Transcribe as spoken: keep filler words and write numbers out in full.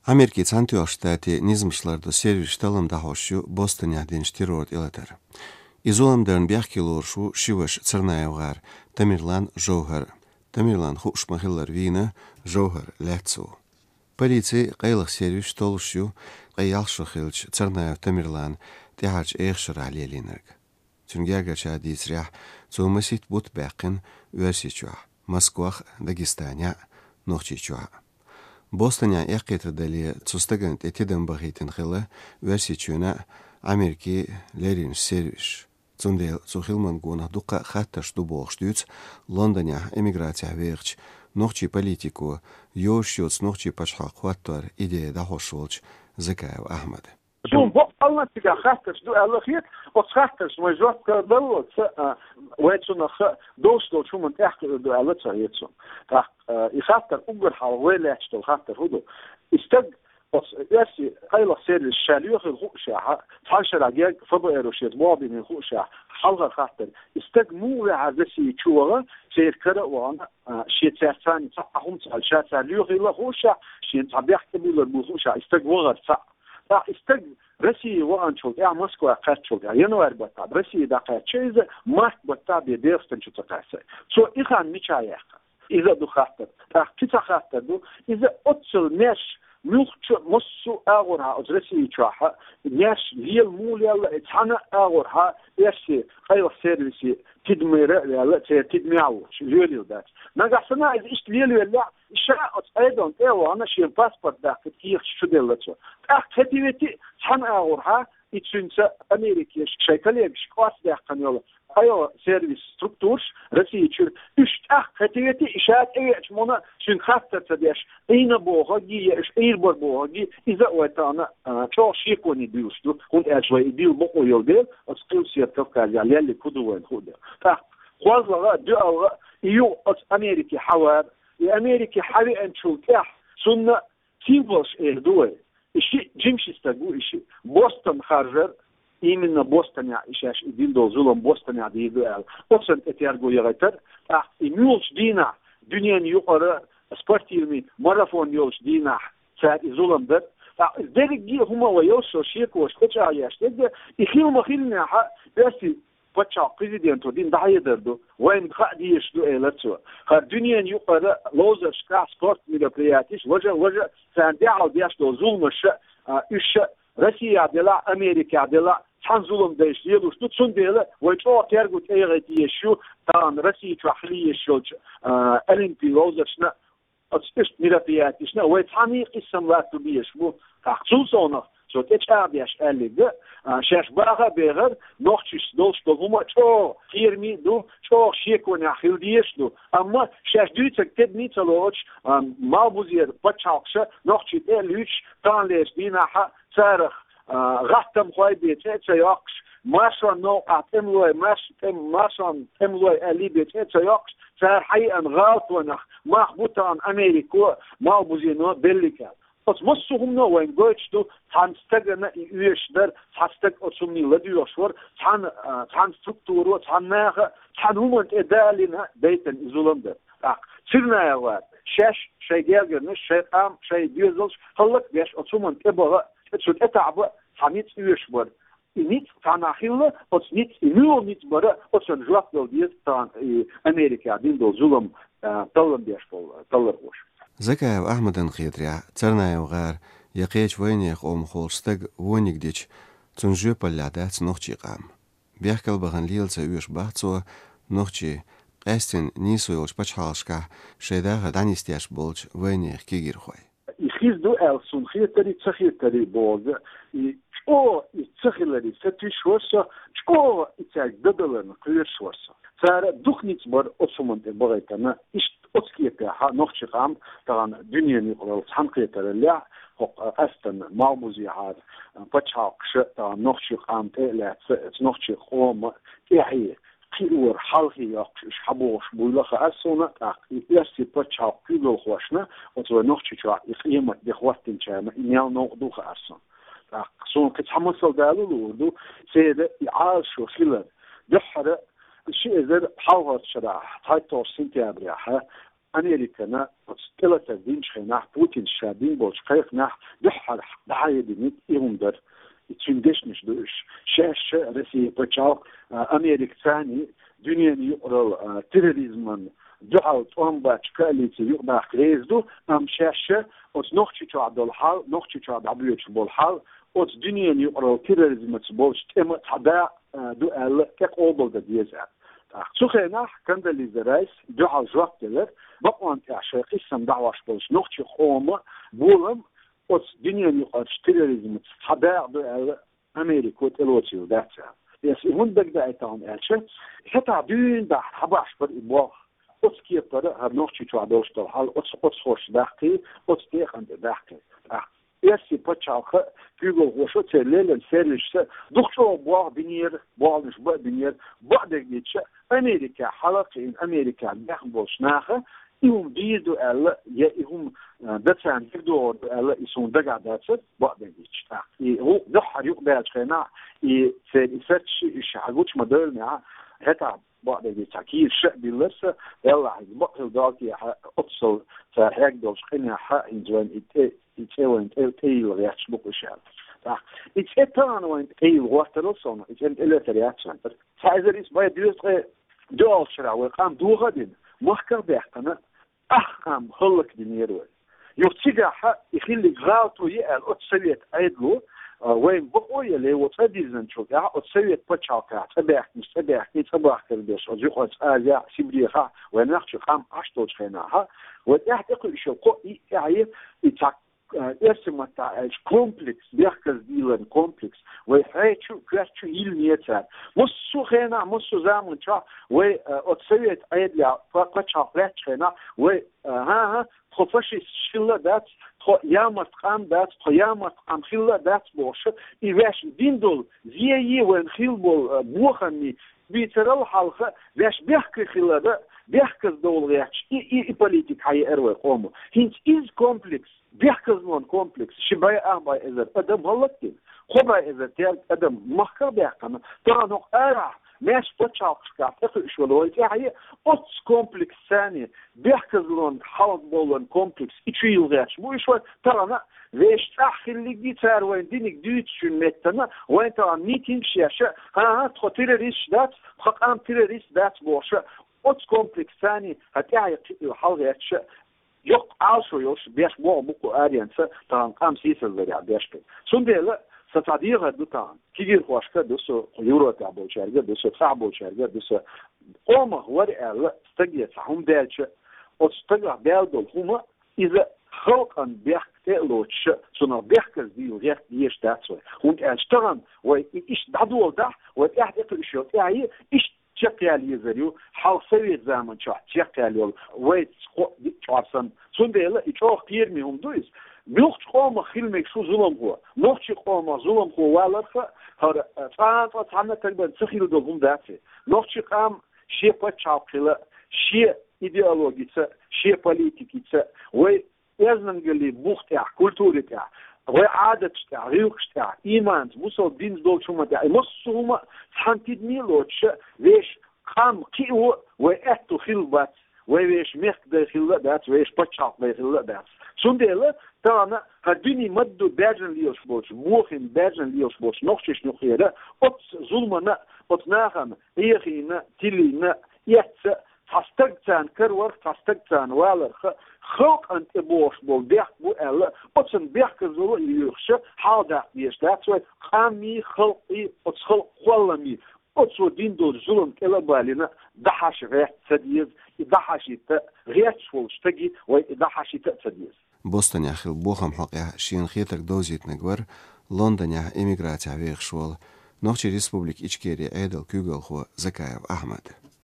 Америкин Цхьаьнатоьхначу Штатийн низамаш лардо сервисаш таллам дӀахьош ю Бостонехь динчу террор тӀелатар. И зулам дарна бехке лоруш ву ши ваша Царнаев гӀар Тамерлан, ЖовхӀар. Тамерлан хууш ма-хиллара вийна, ЖовхӀар лаьцна ву. Полици, къайлаха сервисаш толлуш ю ткъе ялх шо хиллачу Царнаев Тамерланан тӀаьхьарчу эха шарахь лелийнарг. Цуьнан гергарчара дийцарехь, цо масийтта бутт баьккхина Оьрсийчохь, Москвахь а, Дагестанехь а, Нохчийчохь а. Бостонехь эккхийтар дале, цу стагана тӀе тидам бахийтина хилла Оьрсийчоьнан а, Америкин а леррина сервисаш. Цундела цу хиламан гонах дуккха а хаттарш ду бохуш дуьйцу Лондонехь эмиграцехь вехачу нохчийн политико, йозуш йоцу нохчийн пачхьалкх хӀоттор идея дӀахьош волчу Закаев Ахьмада. Суна бакъ аьлла, цигахь хаттарш ду аьлла хета, оцу хаттаршна вай жоп дало ца, а, вай цунах долуш долчу хӀуманна тӀаьхьакхуьур ду аьлла ца хета суна. ТӀаккха, а, и хаттар уггар хьалха вай лаьтташ долу хаттар хӀун ду? И стаг оцу оьрсийн къайлаха сервисаша лоьхийла хуушехь, цхьана шарахь герга ФБР-о шеца болх бина хуушехь, хьалхара хаттар: и стаг муха ваьхьара Россия чу ваха, церан кара а вахана, а, шен цаьрца цхьаъ хӀума ца аьлла, ша цара лоьхийла хуушехь, шена цхьа бехк тӀебуьллур бу хуушехь, и стаг вахара цхьаъ. ТӀаккха и стаг Россия ваханчул тӀаьхьа, Москва кхаьччул тӀаьхьа, январь баттахь Россия дӀакхаьчча иза, март баттахь бен Делхистанчу ца кхаьчча. Цо и хан мичахь яьккха? Иза а ду хаттар. ТӀаккха кхин цхьа хаттар ду: иза оццул маьрша, муьлххачу а, массо а агӀорхьа оцу Россия чохь а маьрша лела муха лелла, и цхьана а агӀорхьа оьрсийн къайлаха сервисан тидамера а ваьлла, церан тидамехь а воцуш, лелийла дац. Нагахь санна иза иштта лелавеллехь, ша оцу Ӏедална тӀе а вахана, шен паспорт даккхийта кехаташ чуделла цо. ТӀаккха хӀетте-ветте а цхьана агӀорхьа и цуьнца Америкин шайн коллегашка орца даьккхина йолу къайлаха сервисан структураш Россия чуьра, уьш тӀаккха хӀетте-ветте а, и ша тӀевеача муна цуьнга хаттар ца деш, Ӏийна бохург а, я уьш Ӏийр бара бохург а, иза а вай тахана, а, чӀогӀа шеконе буьйлуш ду, хӀунда аьлча вай и дилла бакъо йолу дела, оцу Къилбаседа Кавказехь лелларг хӀун ду вайна хуур дела. ТӀаккха кхозлагӀа а, доьалгӀа а, и юха оцу Америке хьавар, и Америке хьавеанчул тӀаьхьа цунна символаш эр ду вай. И шиъ жима ши стаг ву и шиъ. Бостон харжар, именно Бостонехь и шаьш и дина долу зулам Бостонехь дийр ду аьлла, оцунна тӀе терго яхийтар, тӀаккха и муьлхачу дийнахь, дуьненан юкъара спортивный марафон йолчу дийнахь цара и зулам дар. ТӀаккха иза дерриге а хӀума вай йолуш шекош тӀечӀагӀъеш дерг, и хила ма-хиллинехь а, оьрсийн пачхьалкх президенто дина дӀахьедар ду, вайна хаа дезаш ду, элира цо. ХӀара дуьненан юкъара ловзаршкахь, спорт мероприятеш, важа а, важа а, царна дуьхьал деш долу зуламаш а, а, уьш а, Россехь делахь а, Америкехь делахь а, цхьана зулам дайша лелош ду, цундела вай чӀогӀа терго тӀеяхийта езаш ю тахана Россия чохь хила езаш йолчу, а, олимпийн ловзаршна, оцу иштта мероприятешна вай цхьаьний къийсам латто безаш бу. ТӀаккха цул совнаха цо тӀечӀагӀдеш аьлларг, а, шаьш баха а бехар, нохчашца долуш долу хӀума чӀогӀа кхераме а ду, чӀогӀа шеконехь хила дезаш а ду. Амма шаьш дуьйцург тедаме а ца лоцуш, а, малхбузера пачхьалкхаша нохчий тӀе а луьйчуш, таханлерчу дийнахь а царах, а, гӀаттамхой бен цӀе а ца йоккхуш, маршонан новкъахь тӀемалой, марш-, тӀем-, маршонан тӀемалой аьллий бен цӀе а ца йоккхуш, цара хьаеана гӀалатонех мах бу тахана Америко а, малхбузено а беллиг аьлла. Оцу массо а хӀумано вайна гойтуш ду, цхьана стагана и оьшуш дара, цхьа стаг оцу хӀуманийн ладоьгӀуш вара, цхьана, а, цхьана структуро, цхьана наха, цхьана хӀуманна тӀе далийна дайтина и зулам дара. ТӀаккха Царнаев гӀар шаьш, шайн гергарнаш, шайн къам, шайн доьзалш хӀаллакбеш оцу хӀуманна тӀебаха, цу тӀетаӀа бан цхьа ницкъ оьшуш бара. И ницкъ цхьанхьа хилла, оцу ницкъ, и муьлха ницкъ бара, оцунна жоп дала деза тахана и Америкехь дина долу зулам, а, таллам беш болу таллархоша. Закаев Ахьмадна хетарехь, Царнаев гӀар я кхечу вайнехан къомах волчу стага вониг дича, цунна жоьпаллехь дац нохчийн къам. Бехкал бахана лела ца оьшу боху цо, нохчий, къаьсттина нийсо йолчу пачхьалкхашкахь шайн дахар дӀанисдеш болчу вайнехан кегийрхой. И хир ду аьлла суна хетарий, ца хетарий бохург, и чӀогӀа и ца хиларе сатуьйсуш вара со, чӀогӀа и цаьрга дан даларна кхоьруш вара со. Цара дукха ницкъ бара оцу хӀуманна тӀе бахийтина, иштта оцу кепехь нохчийн къам тахана дуьненан юкъаралла цхьаьнакхетараллехь, хӀокху къаьсттина малхбузехьара пачхьалкхаша тахана нохчийн къам тӀе а лаьцна, оцу нохчийн къоман тӀаьхье кхиоран хьалхе йоккхуш уьш хьабогӀуш буйла а хаьара суна, тӀаккха и оьрсийн пачхьалкхан куьйгалхошна, оцу вайн Нохчийчохь и къемат де хӀоттийначарна и мел новкъа ду а хаьара суна. ТӀаккха суна кхин цхьа масал дала луур ду, церан и Ӏалашо хилар. Дуьххьара ши эзар пхьалгӀачу шарахь, цхьайтталгӀачу сентябрехь, Американа оцу тӀелатар динчу хенахь, Путинс ша дина болчу кхайкхинехь дуьххьара дӀахьединарг и хӀума дара. И цуьнан дешнаш ду уьш. Шаьш а Россия пачхьалкх, а, Америка царний дуьненан юкъаралла, а, терроризман дуьхьал тӀом баьчча коалици юкъадаккха реза ду, амма шаьш а оцу Нохчийчохь долу хьал, Нохчийчохь дӀабоьдуш болу хьал, оцу дуьненан юкъаралла терроризмаца болчу тӀеман цхьа дакъа, а, ду аьлла, тӀе къобалдан деза аьлла. ТӀаккха цу хенахь Кондолиза Райс дуьхьал жоп делира, бакъонна тӀехь шайн кхиссам дӀахьош болчу нохчийн къоман болам оцу дуьненан юкъарчу терроризмаца цхьа дакъа ду аьлла, Америко тӀелоцийла дац аьлла. Эс и хӀунда дагадаийта хьуна аьлча, хӀетахь дуьйна дахьа хьабахьаш бара и болх. Оцу кепара хӀара Нохчийчохь долуш долу хьал оцу, оцу хӀорш даккхий, оцу декъана тӀе даккхий. ТӀаккха Оьрсийн пачхьалкхан куьйгалхоша, церан леррина сервисаша дукха чӀогӀа болх бинера, болх бан а бинера, бакъдерг дийцича, Америкехь хьала а кхиъна, Америкехь бехна болчу наха и хӀума дийр ду аьлла, я и хӀума, а, дан царна дагадогӀур ду аьлла, и суна дагахь дацара, бакъдерг дийцича. ТӀаккха и гӀуллакх дуьххьара юкъадаьллачу хенахь, и церан и сарчий, уьш хьагучу ма-девллинехь, хӀетахь бакъдерг дийцича, кийра ша а биллира сан, Деллахь, иза бакъ хилла долу техьа, оццул цара хьегна долчу къинехь, хӀинца вайна и тӀе, и цӀе вайна тӀе, тӀейилла гӀерташ бу-кх уьш аьлла. ТӀаккха и цӀе тахана вайна тӀейилла гӀортарал сов, и цӀенна тӀелатар яц вайн. Цхьа эзар исс бӀе дезткъе доьалгӀачу шарахь вай къам доха а дина, махках а баьккхина, ах къам хӀаллакдинера вай. Юха цигахь и хилларг гӀалато ю аьлла оцу совет Ӏедало, а, вайна бакъо а елла, оцу цӀа дирзинчул тӀаьхьа оцу совет пачхьалкхехь цӀа баьхкинчу, цӀа бахкар берш, оцу Юккъерчу Азехь, Сибрехахь, вайн Нохчийчохь къам Ӏаш долчу хенахь, вай тӀаьхьа тӀекхуьуш йолу кхо а, и тӀаьхье, и цхьа, а, оьрсийн маттахь аьлча, комплекс, бехказа дийларан комплекс, вай хье чу, коьрта чу йиллинера цара. Массо а хенахь, массо а заманчохь вай, а, оцу совет Ӏедалехь па-, пачхьалкх лаьттачу хенахь вай, а, хӀан-хӀа, тхо фашисташ хилла а дац, тхо ямарт къам дац, тхо ямарт къам хилла а дац бохуш, и ваьш дина долу зен а, вайна хилла болу, а, бохам а, бийцарал хьалха, ваьш бехке хилар а, бехказа довла гӀерташ, и, и, и политика хьаеара вай къомо. ХӀинца иза комплекс, бехказлон комплекс, ши бӀе, ах бӀе эзар адам хӀаллакдина, кхо бӀе эзар терра адам махках а баьккхина, тахана хӀокху арахь, маьрша пачхьалкхашкахь тӀекхуьуш волу вай тӀаьхье, оццу комплекс царний, бехказлон хьалха боллан комплекс, и чу йилла гӀерташ бу уьш вай, тахана вешан цӀахь хилларг а, цара вайна динарг дуьйцучун меттана, вайн тахана митингаш еш а, хӀан-хӀа, тхо террористаш дац, тхан къам террорист дац бохуш а, оццу комплекс царний, хӀа тӀаьхье кхиъна хьалагӀерташ а, йоккха Ӏалашо йолуш, беш боху бу-кх аренца, тахана къам сийсазларехь беш бен. Цундела сан цхьа дехар ду тахана. Кегийрхошка а ду со, кху Европехь болчаьрга а ду со, цӀахь болчаьрга а ду со. Къомах вара аьлла, стаге цхьа хӀума даьлча, оцу стагах даьлла долу хӀума, иза халкъан бехк тӀе а лоцуш, цунах бехказа дийла гӀерта дезаш дац вай. ХӀунда аьлча тахана вай и иштта дӀадоладахь, вай тӀаьхьа тӀекхуьуш йолу тӀаьхье, иштта чекхъяла езар ю, хьалха совет заманчохь чекхъяьлла йолу, вайца кхо а диъ чкъор санна. Цундела и чӀогӀа кхераме хӀума ду иза. Муьлххачу къомах хила мегаш ву зуламхо. Нохчийн къомах зуламхо валарх а, хӀара, а, цкъа а, цкъа цхьанна а тагабан ца хилла долу хӀума дац и. Нохчийн къам шен пачхьалкх хила, шен идеологица, шен политикица, вай оьздангаллин бух тӀехь, культури тӀехь, вай Ӏадаташ тӀехь, гӀиллакхаш тӀехь, ийманца, бусалба динца долчу хӀуман тӀехь, и массо а хӀума цхьана тидаме а лоцуш, вешан къам кхио, вай аьтто хилла бац, вай вешан мехкан дай хилла а дац, вешан пачхьалкх дай хилла а дац. Цундела тахана хӀара дуьне ма-дду баьржина лелаш болчу, бохийна баьржина лелаш болчу нохчашна юкъера, оццу зуламана, оцу нахана Ӏехийна, тилийна, эцна, цхьа стаг царна караварх, цхьа стаг царна валарх, халкъана тӀе бохуш болу бехк бу аьлла, оцунна бехказло а йоьхуш, хьаладаккха дезаш дац вай, къамий, халкъий, оцу халкъан кхолламий, оцо дина долчу зулам кӀел а балийна, дӀахьаша гӀерта ца деза, и дӀахьашийта, гӀерташ волчу стаге вай и дӀахьашийта а ца деза. Бостонехь хилла бохам хьокъехь шена хетарг довзийтинарг вара Лондонехь эмиграцехь вехаш волу Нохчийн Республика Ичкерин Ӏедалан куьйгалхо Закаев Ахьмад.